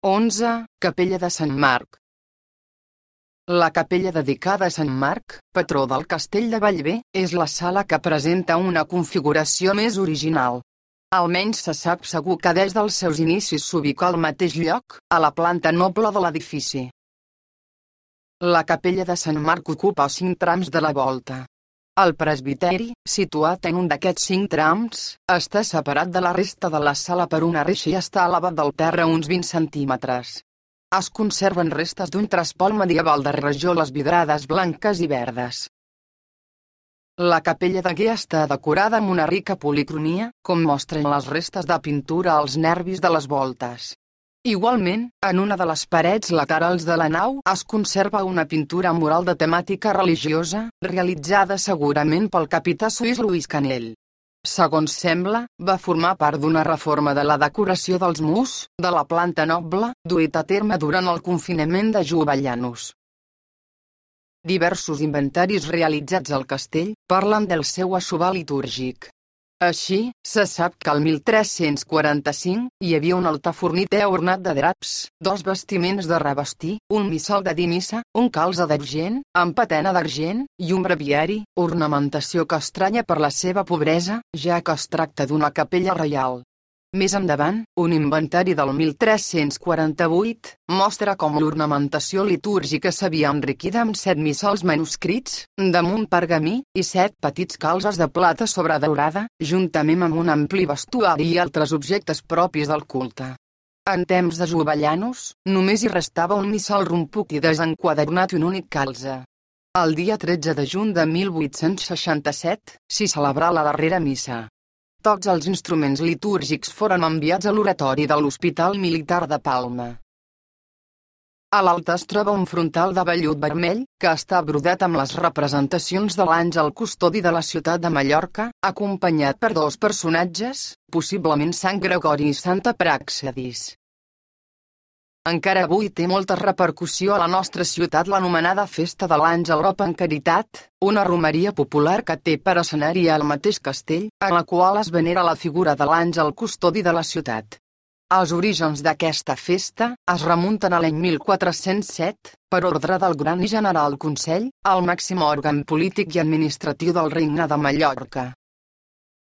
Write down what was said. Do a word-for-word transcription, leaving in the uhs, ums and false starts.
onze. Capella de Sant Marc. La capella dedicada a Sant Marc, patró del castell de Bellver, és la sala que presenta una configuració més original. Almenys se sap segur que des dels seus inicis s'ubica al mateix lloc, a la planta noble de l'edifici. La capella de Sant Marc ocupa cinc trams de la volta. El presbiteri, situat en un d'aquests cinc trams, està separat de la resta de la sala per una reixa i està elevat del terra uns vint centímetres. Es conserven restes d'un trespol medieval de rajoles vidrades blanques i verdes. La capella degué està decorada amb una rica policromia, com mostren les restes de pintura als nervis de les voltes. Igualment, en una de les parets laterals de la nau es conserva una pintura mural de temàtica religiosa, realitzada segurament pel capità suís Lluís Canell. Segons sembla, va formar part d'una reforma de la decoració dels murs, de la planta noble, duit a terme durant el confinament de Jovellanos. Diversos inventaris realitzats al castell parlen del seu aixovar litúrgic. Així, se sap que al mil tres-cents quaranta-cinc hi havia un altar forniter ornat de draps, dos bastiments de revestir, un missal de dir missa, un calze d'argent, amb patena d'argent, i un breviari, ornamentació que estranya per la seva pobresa, ja que es tracta d'una capella reial. Més endavant, un inventari del mil tres-cents quaranta-vuit mostra com l'ornamentació litúrgica s'havia enriquida amb set missals manuscrits, damunt pergamí, i set petits calzes de plata sobredaurada, juntament amb un ampli vestuari i altres objectes propis del culte. En temps de Jovellanos, només hi restava un missal rompuc i desenquadernat i un únic calze. El dia tretze de juny de mil vuit-cents seixanta-set, s'hi celebrà la darrera missa. Tots els instruments litúrgics foren enviats a l'oratori de l'Hospital Militar de Palma. A l'alta es troba un frontal de vellut vermell, que està brodat amb les representacions de l'àngel custodi de la ciutat de Mallorca, acompanyat per dos personatges, possiblement Sant Gregori i Santa Pràxedis. Encara avui té molta repercussió a la nostra ciutat l'anomenada Festa de l'Àngel Rop en Caritat, una romeria popular que té per escenari al mateix castell, en la qual es venera la figura de l'àngel custodi de la ciutat. Els orígens d'aquesta festa es remunten a l'any mil quatre-cents set, per ordre del Gran i General Consell, el màxim òrgan polític i administratiu del Regne de Mallorca.